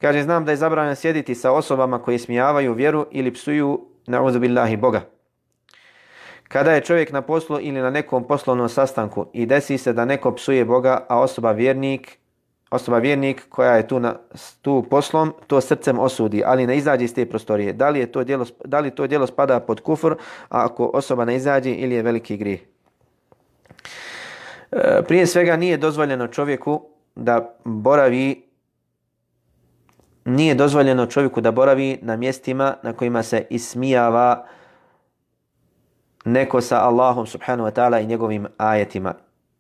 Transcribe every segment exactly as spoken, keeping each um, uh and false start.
Kaže, znam da je zabranjeno sjediti sa osobama koji smijavaju vjeru ili psuju na'udhu billahi Boga. Kada je čovjek na poslu ili na nekom poslovnom sastanku i desi se da neko psuje Boga, a osoba vjernik, osoba vjernik koja je tu, na, tu poslom, to srcem osudi, ali ne izađe iz te prostorije. Da li, je to djelo, da li to djelo spada pod kufr, a ako osoba ne izađe, ili je veliki grijeh? E, prije svega nije dozvoljeno čovjeku da boravi nije dozvoljeno čovjeku da boravi na mjestima na kojima se ismijava neko sa Allahom subhanahu wa ta'ala i njegovim ajetima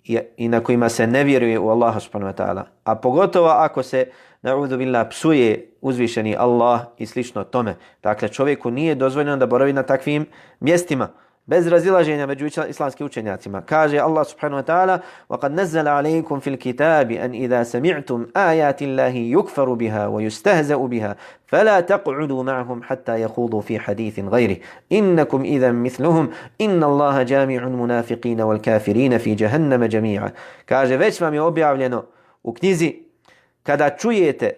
i, i na kojima se ne vjeruje u Allaha subhanahu wa ta'ala. A pogotovo ako se na'udhu billah psuje uzvišeni Allah i slično tome. Dakle, čovjeku nije dozvoljeno da boravi na takvim mjestima. Bez razilaženja među islamskim učenjacima. Kaže Allah subhanahu wa ta'ala: وَقَدْ نَزَّلَ عَلَيْكُمْ فِي الْكِتَابِ أَنْ إِذَا سَمِعْتُمْ آيَاتِ اللَّهِ يُكْفَرُ بِهَا وَيُسْتَهْزَأُ بِهَا فَلَا تَقْعُدُوا مَعَهُمْ حَتَّى يَخُوضُوا فِي حَدِيثٍ غَيْرِهِ إِنَّكُمْ إِذًا مِثْلُهُمْ إِنَّ اللَّهَ جَامِعُ الْمُنَافِقِينَ وَالْكَافِرِينَ فِي جَهَنَّمَ جَمِيعًا. Kaže, već vam je objavljeno u knjizi, kada čujete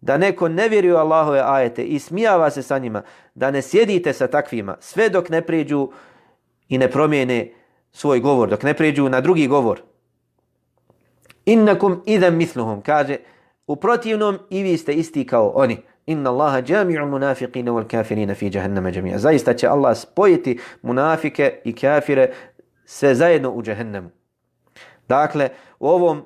da neko ne vjeruje u Allahove ajete i smijava se sa njima, da ne sjedite sa takvima sve dok ne prijeđu i ne promijene svoj govor, dok ne prijeđu na drugi govor. Innakum idhan mithluhum, kaže, u protivnom i vi ste isti kao oni. Inna Allaha jami'ul munafiqina wal kafirina fi jahannama jami'a. Zaista će Allah spojiti munafike i kafire sve zajedno u džehennemu. Dakle, u ovom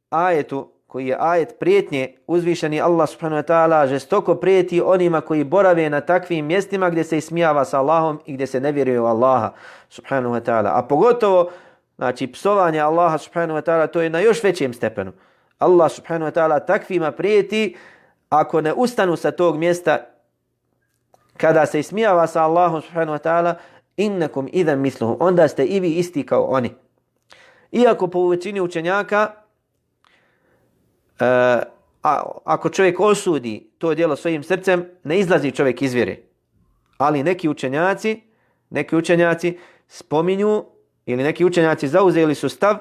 ajetu, koji je ajet prijetnje, uzvišeni Allah subhanahu wa ta'ala žestoko prijeti onima koji borave na takvim mjestima gdje se ismijava sa Allahom i gdje se ne vjeruje u Allaha subhanahu wa ta'ala. A pogotovo, znači, psovanje Allaha subhanahu wa ta'ala, to je na još većem stepenu. Allah subhanahu wa ta'ala takvima prijeti ako ne ustanu sa tog mjesta kada se ismijava sa Allahom subhanahu wa ta'ala, innakum idhan mithluhum, onda ste i vi isti kao oni. Iako po većini učenjaka, Uh, a, ako čovjek osudi to djelo svojim srcem, ne izlazi čovjek iz vjere. Ali neki učenjaci, neki učenjaci spominju, ili neki učenjaci zauzeli su stav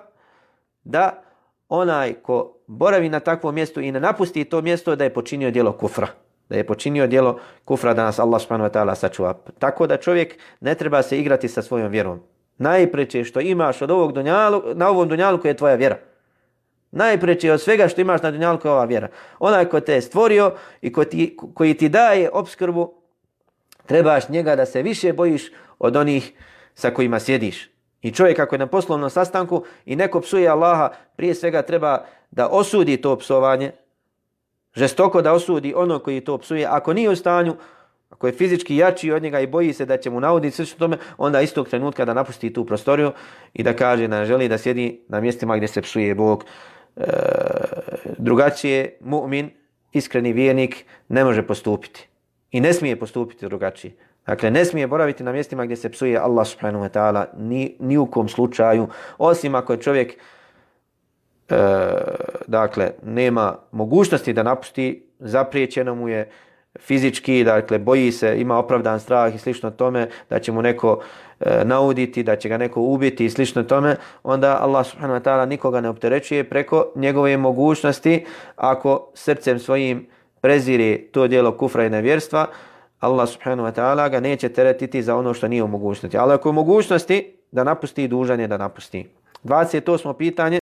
da onaj ko boravi na takvom mjestu i ne napusti to mjesto, da je počinio djelo kufra. Da je počinio djelo kufra, da nas Allah subhanahu wa ta'ala sačuva. Tako da čovjek ne treba se igrati sa svojom vjerom. Najpreče što imaš od ovog dunjalu, na ovom dunjalu je tvoja vjera. Najpreće od svega što imaš na dunjalku je ova vjera. Onaj ko te je stvorio i ko ti, koji ti daje opskrbu, trebaš njega da se više bojiš od onih sa kojima sjediš. I čovjek ako je na poslovnom sastanku i neko psuje Allaha, prije svega treba da osudi to psovanje, žestoko da osudi ono koji to psuje. Ako nije u stanju, ako je fizički jači od njega i boji se da će mu nauditi sve što tome, onda istog trenutka da napusti tu prostoriju i da kaže da želi da sjedi na mjestima gdje se psuje Bog. E, drugačije mu'min, iskreni vjernik, ne može postupiti. I ne smije postupiti drugačije. Dakle, ne smije boraviti na mjestima gdje se psuje Allah subhanahu wa ta'ala ni, ni u kom slučaju, osim ako je čovjek e, dakle, nema mogućnosti da napusti, zapriječeno mu je fizički, dakle, boji se, ima opravdan strah i slično tome, da će mu neko e, nauditi, da će ga neko ubiti i slično tome, onda Allah subhanahu wa ta'ala nikoga ne opterećuje preko njegove mogućnosti. Ako srcem svojim prezire to djelo kufra i nevjerstva, Allah subhanahu wa ta'ala ga neće teretiti za ono što nije u mogućnosti. Ali ako je u mogućnosti da napusti, dužan je da napusti. dvadeset osmo pitanje.